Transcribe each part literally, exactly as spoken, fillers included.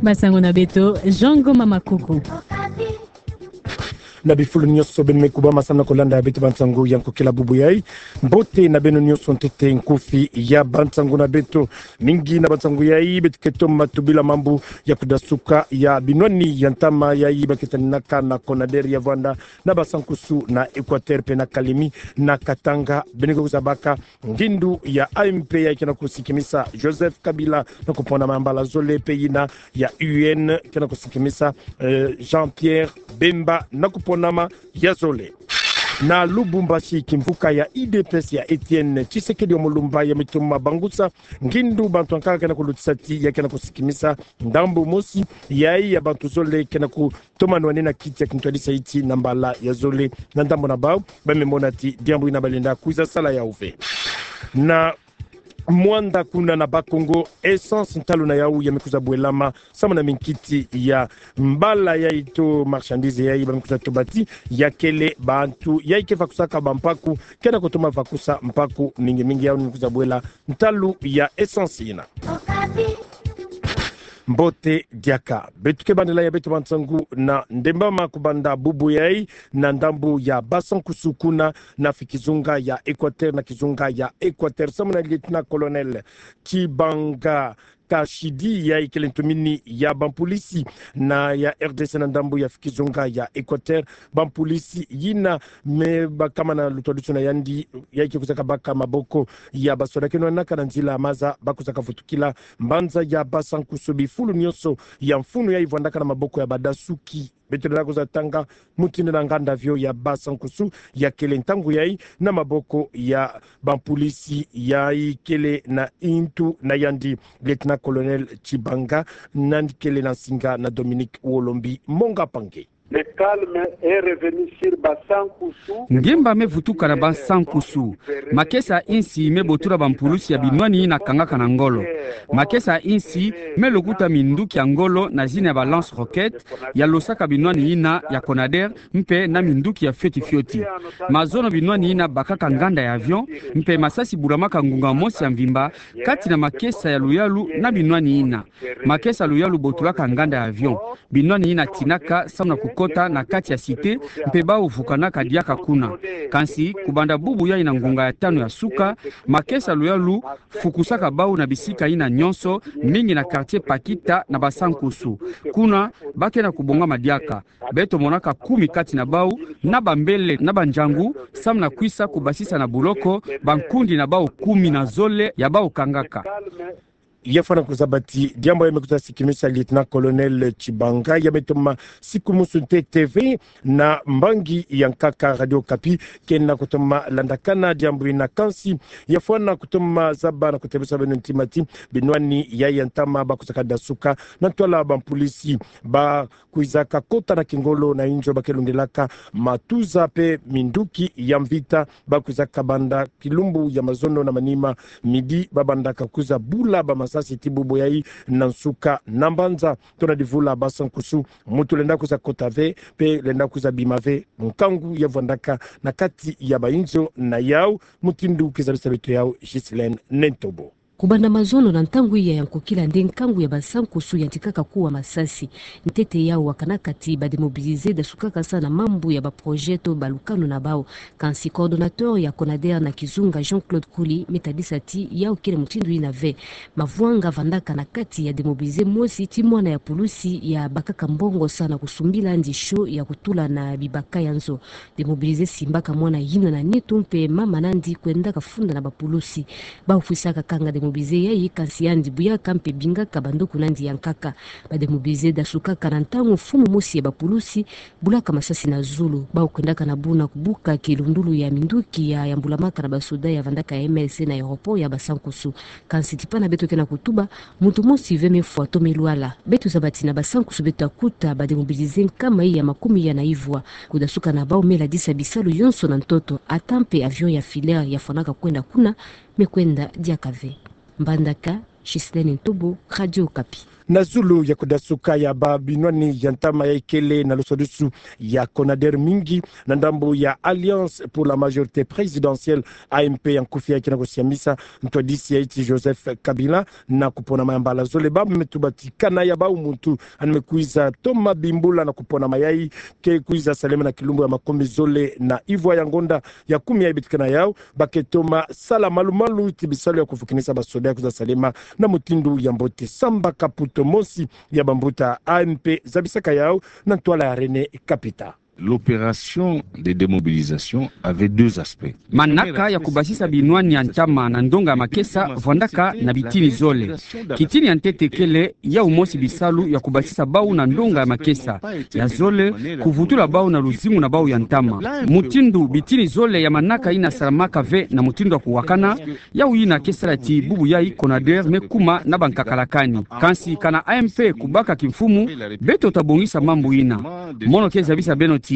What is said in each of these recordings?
Basango na beto, Jean Ngoma Makuku. Na bifulu nyonso beno me kubama samu na kolanda beto bansango ya nkokila bubu yai. Mbote na beno nyonso ntete nkufi ya bansango na beto. Mingi na bansango yai beto ke toma tubila mambu ya kudasuka ya binwani ya ntama yai ba ke taninaka na Conader ya vwanda na Basankusu, na Equateur mpe na Kalemi, na Katanga. Beno ke kwiza baka ngindu ya A M P yai ke na kusikimisa Joseph Kabila na kupona mambala zole, mpe yina ya U N ke na kusikimisa, eh, Jean-Pierre Bemba na kupona ma ya zole. Na Lubumbashi, kimvuka ya U D P S ya Etienne Tshisekedi wa Mulumba ya me toma bangusa ngindu bantu ankaka ke na kulutisa ti ya ke na kusikimisa ndambu mosi yai ya bantu zole ke na ku toma nwanina kiti ya kintwadisa iti na mbala ya zole. Na ndambu na bau, ba me mona ti diambu ina ba lenda kwiza sala yau ve. Na Muanda kuna na Bas-Congo, essence ntalu na yau ya me kwiza bwelama samu na minkiti ya mbala yai to marchandise yai ba me kwiza toba ti ya kele bantu yai ke vakusaka bampaku ke na kutoma vakusa mpaku mingi mingi. Yau ni kwiza bwela ntalu ya essence ina. Mbote diaka. Beto ke bandela ya beto bansango na ndembama kubanda bubu yai na ndambu ya Basankusu kuna na fi kizunga ya Equateur, na kizunga ya Equateur samu na lieutenant-colonel Tshibanga Kashidi yai kele ntumini ya bampulisi na ya R D C na ndambu ya fi kizunga ya Equateur. Bampulisi yina me bakama na lutwadusu na yandi yai ke kwiza kabaka maboko ya basoda ke nwanaka na nzila maza ba kwiza kavutukila mbanza ya Basankusu. Bifulu nyonso ya mfunu yai vwandaka na maboko ya badasuki. Beto lenda kwiza tanga mutindu na nganda avion ya Basankusu ya kele ntangu yai na maboko ya bampulisi yai kele na ntu na yandi. Lieutenant-colonel Tshibanga nandi kele na nsinga na Dominique Wolombi Monga Pange. Le calme est revenu sur Basankusu. Ngemba me vutuka na Basankusu. Makesa insi me botula bampulisi ya binwani ina kangaka na ngolo. Makesa insi me lokuta minduki ya ngolo na zina ya ba lance-roquette ya losaka binwani ina ya Conader mpe na minduki ya fioti fioti. Mazono binwani ina bakaka nganda ya avion, mpe masasi bulamaka ngunga mosi ya mvimba kati na makesa ya luyalu na binwani ina. Makesa luyalu botulaka nganda ya avion. Binwani ina tinaka samu na kukota na kati ya cité, mpe bau vukanaka diaka kuna. Kansi, kubanda bubu yai na ngunga ya tanu ya suka, makesa luyalu fukusaka bau na bisika ina nyonso, mingi na quartier Pakita na Basankusu. Kuna, ba ke na kubongama diaka. Beto monaka kumi kati na bau, na bambele, na banjangu, samu na kwisa kubasisa na buloko bankundi na bau kumi na zole ya bau kangaka. Ya fwana kuzaba ti diambu ya me kwiza sikimisa lieutenant-colonel Tshibanga ya me toma sikumusu ntete ve na mbangi ya nkaka Radio Okapi, ke na kutoma landakana diambu ina. Kansi ya fwana kutoma zaba na kutebesa beno ntima ti binwani yai ya ntama ba kwiza kadasuka na ntwala bampulisi ba kwiza kakota na kingolo na inzo ba ke lundelaka matuza mpe minduki ya mvita. Ba kwiza kabanda kilumbu ya mazono na manima midi, ba banda kakwiza bula bamasasi ti bubu yai na nsuka na mbanza. Tona divula Basankusu, muntu lenda kwiza kota ve, mpe lenda kwiza bima ve nkangu ya vwandaka na kati ya bainzo na yau. Mutindu kizabisa beto yau Ghislaine Nentobo. Kubanda mazono na ntangu iya ya nkokila nde nkangu ya Basankusu yantikaka kuwa masasi. Ntete yau wakanaka ti ba démobilisés dasukaka sa na mambu ya ba projets to ba lukanu na bau. Kansi coordonnateur ya Conader na kizunga, Jean-Claude Kuli, me tadisa ti yau kele mutindu ina ve. Mavwanga vandaka na kati ya démobilisé mosi ti mwana ya pulusi ya bakaka mbongo sa na kusumbila ndi show ya kutula na bibaka ya nzo. Démobilisé simbaka mwana yina na nitu mpe mama nandi kwendaka funda na bapulusi. Bau fwisaka kanga démobilisé yai, kansi yandi buyaka mpe bingaka bandoku nandi ya nkaka. Ba démobilisés dasukaka na ntangu mfumu mosi ya bapulusi bulaka masasi na zulu. Bau kwendaka na buna kubuka kilundulu ya minduki ya yambulamaka na basoda ya vandaka ya M L C na aéroport ya Basankusu. Kansi tipa na beto ke na kutuba, muntu mosi ve me fwa to me lwala. Beto zaba ti na Basankusu beto akuta ba démobilisés nkama iya makumi iya na ivwa. Kudasuka na bau me ladisa bisalu yonso na ntoto, ata mpe avion ya Filair ya fwanaka kwenda kuna, me kwenda diaka ve. Mbandaka, Ghislaine Ntobo, Radio Okapi. Na zulu ya kudasuka ya babinwani ya ntama ya ikele na lusadusu ya Conader mingi na ndambu ya Alliance pour la Majorité Présidentielle, A M P ya nkufi, ya kena kusiamisa ntwadisi ya nti Joseph Kabila na kupona mayambala zole, ba me tuba ti kana ya bau muntu ane me kwiza toma bimbula na kupona mayai ke kwiza salema na kilumbu ya makumbi zole na ivwa ya ngonda ya kumi ya ibitikana yau, ba ke toma sala malumalu ti bisalu ya kufukinisa basoda ya kwiza salema na mutindu ya mbote. Samba Kaputo, mosi ya bambuta A M P, zabisaka yau na ntwala ya René Kapita. L'opération de démobilisation avait deux aspects. Manaka ya kubasisa binwani ya ntama na ndonga ya makesa vwandaka na bitini zole. Kitini ya ntete kele yau mosi bisalu ya kubasisa bau na ndonga ya makesa. Ya zole, kuvutula bau na luzingu na bau ya ntama. Mutindu bitini zole ya manaka ina salamaka ve na mutindu ya kuwakana, yau ina ke sala ti bubu yai Conader me kuma na bankakalakani. Kansi kana A M P kubaka kimfumu, beto tabongisa mambu ina. Mono ke zabisa beno ti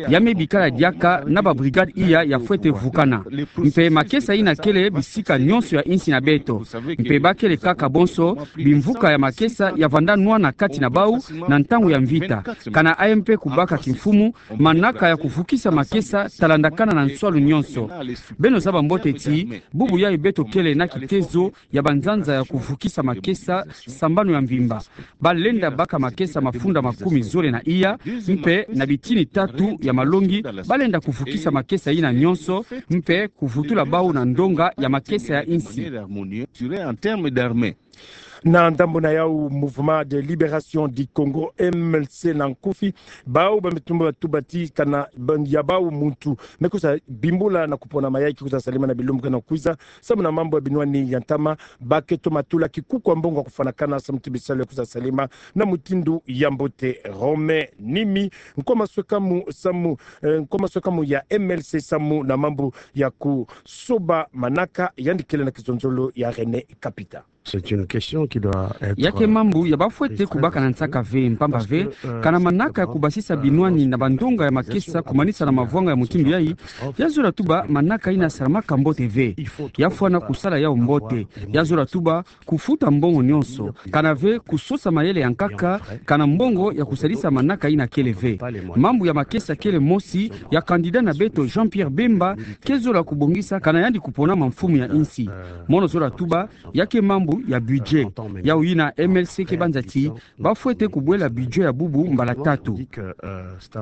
ya me bikala diaka na ba brigade iya ya fwete vukana. Mpe makesa ina kele bisika nyonso ya insi na beto. Mpe ba kele kaka bonso bimvuka ya makesa ya vanda nwana kati na bau na ntangu ya mvita. Kana A M P kubaka kimfumu, manaka ya kuvukisa makesa talandakana na nswalu nyonso. Beno zaba mbote ti bubu yai beto kele na kitezo ya banzanza ya kuvukisa makesa sambanu ya mvimba. Ba lenda baka makesa mafunda makumi zole na iya, mpe na bitini tatu ya malongi ba lenda kuvukisa makesa ina nyonso, mpe kuvutula bau na ndonga ya makesa ya insi. Na ndambu na yau, Mouvement de Libération du Congo, M L C na nkufi, bau ba me tuba, tuba ti kana ban-, ya bau muntu me kwiza bimbula na kupona mayai ke kwiza salema na bilumbu kena kwiza samu na mambu ya binwani ya ntama, ba ke toma tula kikuku ya mbongo ya kufwanakana samu ti bisalu ya kwiza salema na mutindu ya mbote. Romain Nimi, nkwa maswekamu samu, eh, nkwa maswekamu ya M L C samu na mambu ya kusoba manaka, yandi kele na kizonzolo ya René Kapita. C'est une question qui doit être, ya ke mambu ya ba fwete kubaka na nsaka ve, mpamba ve kana manaka ya kubasisa binwani na bandonga ya makesa kumanisa na mavwanga ya mutindu yai, ya zola tuba manaka ina salamaka mbote ve. Ya fwana kusala yau mbote. Ya zola tuba kufuta mbongo nyonso, kana ve kusosa mayele ya nkaka, kana mbongo ya kusalisa manaka ina kele ve. Mambu ya makesa kele mosi ya candidat na beto Jean-Pierre Bemba ke zola kubongisa kana yandi kuponama mfumu ya insi. Mono zola tuba ya ke mambu ya budget. Yau ina M L C ke banza ti ba fwete kubwela budget ya bubu mbala tatu.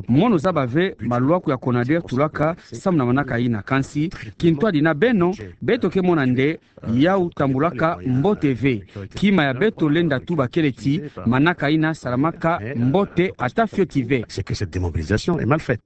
Mono zaba ve malwaku ya Conader tulaka samu na manaka ina, kansi kintwadi na beno, beto ke mona nde yau tambulaka mbote ve. Kima ya beto lenda tuba kele ti manaka ina salamaka mbote ata fioti ve. C'est que cette démobilisation est mal faite.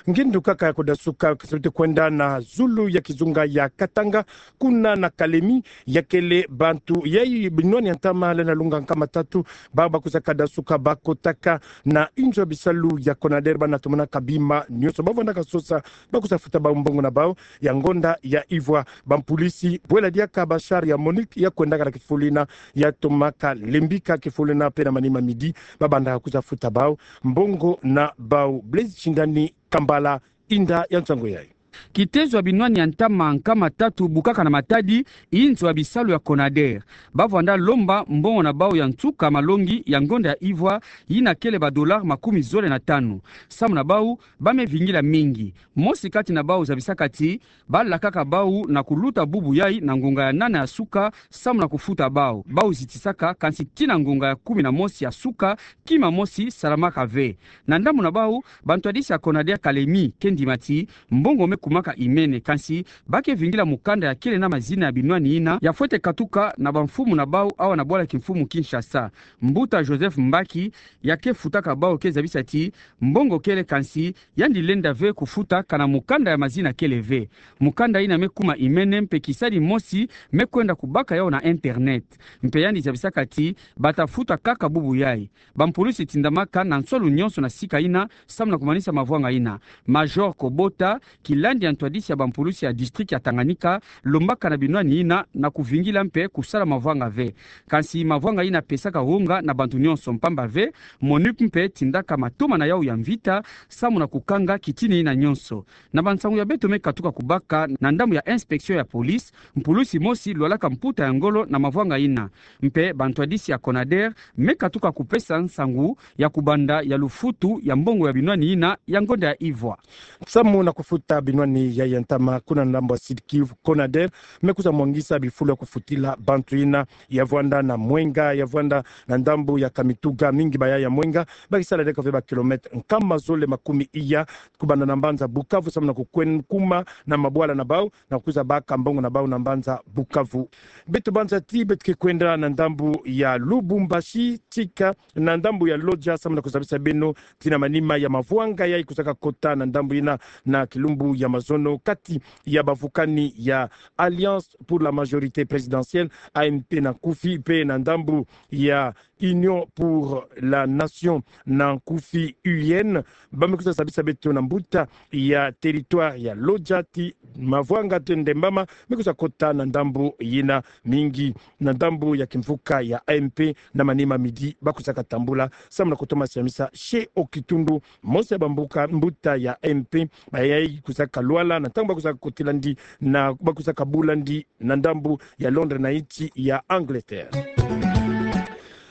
Ngindu kaka ya kudasuka, kasabiti kwenda na zulu ya kizunga ya Katanga, kuna na Kalemi, ya kele bantu yai binwani ya ntama lenda lunga nkama tatu, ba, ba kwiza kadasuka, ba kotaka na inzo ya bisalu ya Conader, ba na tomanaka bima nyonso. Ba vwandaka sosa, ba kwiza futa bau mbongo na bau, ya ngonda ya ivwa. Bampulisi bwela diaka ba char ya Monique ya kwendaka na kifulu ina, ya tomaka lembika kifulu ina, pe na manima midi, ba bandaka kwiza futa bau mbongo na bau. Blaise Shindani, Kampala, inda ya nsangu yai. Kitezo ya binwani ya ntama nkama tatu bukaka na matadi inzo ya bisalu ya Conader. Ba vwanda lomba mbongo na bau ya nsuka malongi ya ngonda ya ivwa, ina kele ba dollars makumi zole na tanu. Samu na bau, ba me vingila mingi. Mosi kati na bau zabisaka ti ba lakaka bau na kuluta bubu yai na ngonga ya nana ya suka, samu na kufuta bau. Bau zitisaka, kansi tii na ngonga ya kumi na mosi ya suka, kima mosi salamaka ve. Na ndambu na bau, bantwadisi ya Conader Kalemi ke ndima ti mbongo me kumaka imene, kansi ba ke vingila mukanda ya kele na mazina ya binwani ina ya fwete katuka na bamfumu na bau awa na bwala kimfumu Kinshasa. Mbuta Joseph Mbaki, ya ke futaka bau, ke zabisa ti mbongo kele, kansi yandi lenda ve kufuta kana mukanda ya mazina kele ve. Mukanda ina me kuma imene, mpe kisadi mosi me kwenda kubaka yau na internet. Mpe yandi zabisaka ti ba ta futa kaka bubu yai. Bampulisi tindamaka na nswalu nyonso na sika ina, samu na kumanisa mavwanga ina. Major Kobota, kila Yandi ya ntwadisi ya bampulusi ya district ya Tanganyika lombaka na binwani ina na kuvingila mpe kusala mavwanga ve. Kansi mavwanga ina pesaka wonga na bantu nyonso, mpamba ve MONUC mpe tindaka matoma na yawu ya mvita samu na kukanga kitini ina nyonso. Na bansangu ya beto me katuka kubaka na ndambu ya inspection ya police, mpulusi mosi lwalaka mputa ya ngolo na mavwanga ina. Mpe bantwadisi ya CONADER me katuka kupesa nsangu ya kubanda ya lufutu ya mbongo ya binwani ina ya ngonda ya ivwa. Samu na kufuta binwani ya ya ntama, kuna na ndambu ya Sud-Kivu, CONADER me kwiza mwangisa bifulu ya kufutila bantu ina ya vwanda na Mwenga, ya vwanda na ndambu ya Kamituga. Mingi baya ya Mwenga bakisala diaka ve ba kilomètre nkama zole makumi iya kubanda na mbanza Bukavu samu na kukwenda kuma na mabwala na bau na kwiza baka mbongo na bau na mbanza Bukavu. Beto banza ti beto ke kwenda na ndambu ya Lubumbashi, tika na ndambu ya Lodja samu na kuzabisa beno ti na manima ya mavwanga yayi kwizaka kota na ndambu ina na kilumbu ya mazono kati ya bavukani ya Alliance pour la majorité présidentielle, A M P na nkufi, mpe na ndambu ya Union pour la nation na nkufi, U N. Ba me kwiza zabisa beto na mbuta ya territoire ya Lodja ti mavwanga tendembama me kwiza kota na ndambu yina. Mingi na ndambu ya kimvuka ya A M P na manima midi ba kwizaka tambula samu na kutoma siamisa chez au kitundu mosi ya bambuka mbuta ya A M P bayayi kwizaka lwala na ntangu ba kwizaka kotila ndi na ba kwizaka bula ndi na ndambu ya Londres na insi ya Angleterre.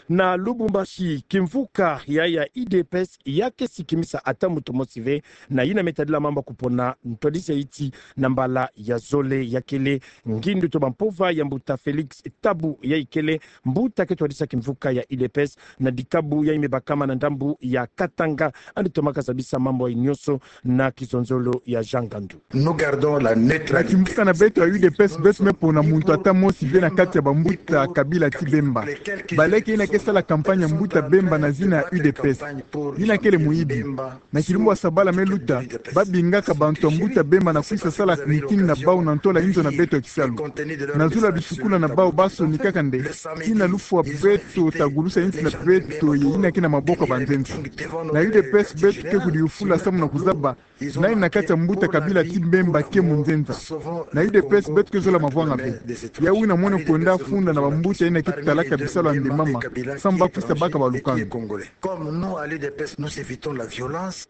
Na Lubumbashi, kimvuka ya ya U D P S ya ke sikimisa ata muntu mosi ve na yina me tadila mambu ya kupona ntwadisi ya insi na mbala ya zole. Ya kele ngindu to bampova ya mbuta Félix Tabu, yayi kele mbuta ke twadisa kimvuka ya U D P S na dikabu yayi me bakama na ndambu ya Katanga. Yandi tomaka zabisa mambu yayi nyonso na kizonzolo ya Jean Gandu. Nous gardons la neutralité. Na kimvuka na beto ya U D P S, beto me pona muntu ata mosi ve na kati ya bambuta kabila ti Bemba. Baleke yina ke sala campagne ya mbuta Bemba na zina ya U D P S. Yina kele muyibi. Na kilumbu ya sabala me luta, ba bingaka bantu ya mbuta Bemba na kwisa sala meeting na bau na ntola inzo na beto ya kisalu. Na zulu ya bisukula na bau ba sonikaka nde, tii na lufwa beto ta gulusa insi na beto ye yina ke na maboko ya banzenza. Na U D P S beto ke kudiyufula samu na kuzaba nani na kati ya mbuta kabila ti Bemba ke munzenza. Na U D P S beto ke zola mavwanga ve. Ya wina mwene kwenda funda na bambuta yina ke talaka bisalu ya ndembama, samu ba kwisa baka balukanu. Comme nous, à l'U D P S, nous évitons la violence.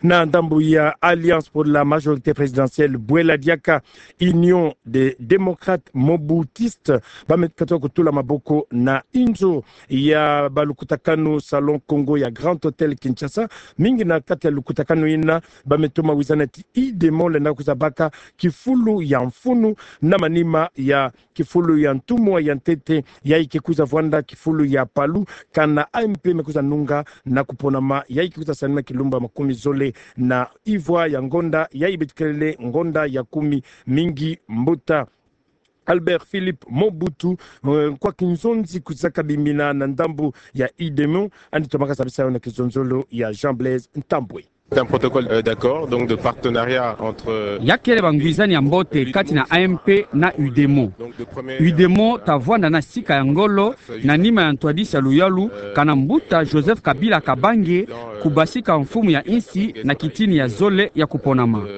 Na ndambu ya Alliance pour la majorité présidentielle, bwela diaka Union des démocrates mobutistes, ba me katuka kutula maboko na inzo ya balukutakanu Salon Congo ya Grand Hôtel Kinshasa. Mingi na kati ya lukutakanu yina ba me toma wizana ti UDEMO lenda kwiza baka kifulu ya mfunu na manima ya kifulu ya ntumwa ya ntete, yayi ke kwiza vwanda kifulu ya palu, kana A M P me kwiza nunga na kuponama, yayi ke kwiza salama kilumbu ya makumi zole na ivwa ya ngonda, yayi beto kelele ngonda ya kumi. Mingi mbuta Albert Philippe Mobutu, eh, kwa kinzonzi kwizaka bimina na ndambu ya UDEMO, yandi tomaka zabisa yo na kizonzolo ya Jean Blaise Ntambwe. C'est un protocole, euh, d'accord, donc de partenariat entre, euh, ya kele bangwizani ya mbote kati na A M P na UDEMO. UDEMO ta vwanda na sika ya ngolo na nima ya ntwadisi ya luyalu, kana mbuta Joseph Kabila Kabange kubasika mfumu ya insi na kitini ya zole ya kuponama.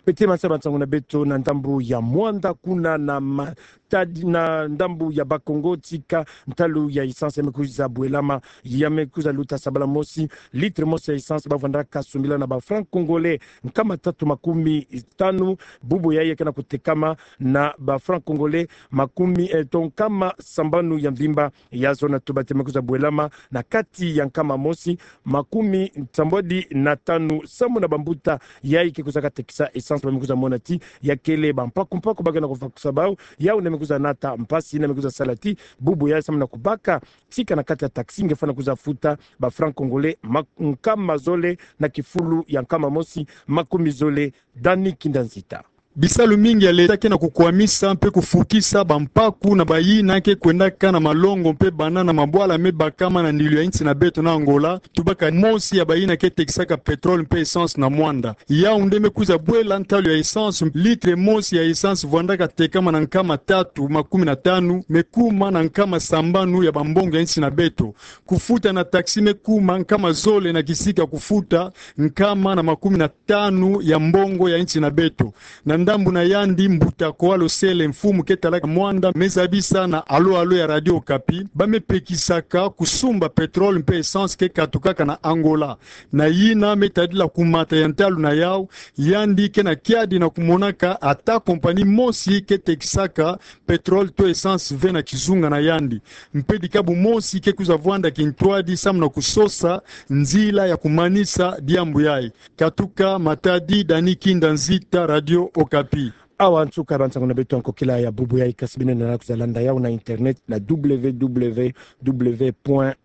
Beto manisa bansangu na beto na ndambu ya Muanda, kuna na ma- tadi na ndambu ya Bakongo, tika ntalu ya essence ya me kwiza bwelama, ya me kwiza luta sabala mosi. Litre mosi ya essence ba vwandaka sumbila na ba francs congolais nkama tatu makumi tanu, bubu yayi ya ke na kutekama na ba francs congolais makumi, eh, to nkama sambanu ya mvimba. Ya zona tuba ti me kwiza bwelama na kati ya nkama mosi makumi nsambwadi na tanu, samu na bambuta yayi ke kwizaka tekisa essence ba me kwiza mona ti ya kele bampaku mpaku ba ke na kuvakusa bau, yau na me kwiza nata mpasi, na me kwiza sala ti bubu yayi samu na kubaka tika na kati ya taxi nge fwana kwiza futa ba francs congolais ma- nkama zole na kifulu ya nkama mosi makumi zole. Dani Kindanzita. Bisalu mingi ya leta ke na kukwamisa mpe kufukisa bampaku na bayina ke kwendaka na malongo mpe bana na mabwala me bakama na ndilu ya insi na beto na Angola, tubaka mosi ya bayina ke tekisaka pétrole mpe essence na Muanda. Yau nde me kwiza bwela ntalu ya essence, litre mosi ya essence vwandaka tekama na nkama tatu makumi na tanu, me kuma na nkama sambanu ya bambongo ya insi na beto. Kufuta na taxi me kuma nkama zole na kisika kufuta nkama na makumi na tanu ya mbongo ya insi na beto. Na ndambu na yandi, mbuta Koalo Sele, mfumu ke talaka Muanda, me zabisa na Alo Alo ya Radio Okapi ba me pekisaka kusumba pétrole mpe essence ke katukaka na Angola. Na yina me tadila kumata ya ntalu na yau, yandi ke na kiadi na kumonaka ata compagnie mosi ke tekisaka pétrole to essence ve na kizunga na yandi. Mpe dikabu mosi ke kwiza vwanda kintwadi samu na kusosa nzila ya kumanisa diambu yayi. Katuka Matadi, Dani Kinda Nzita, Radio Okapi. Awa nsuka ya bansanganu na beto ya nkokila ya bubu yayi, kasi beno lenda kwiza landa yau na internet na W W W point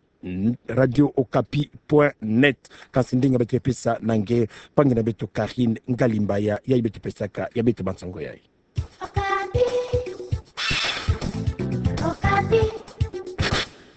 radio okapi point net. Kasi ndinga beto pesa na nge mpangi na beto Karine Ngalimbaya, yayi beto pesaka ya beto bansango yayi.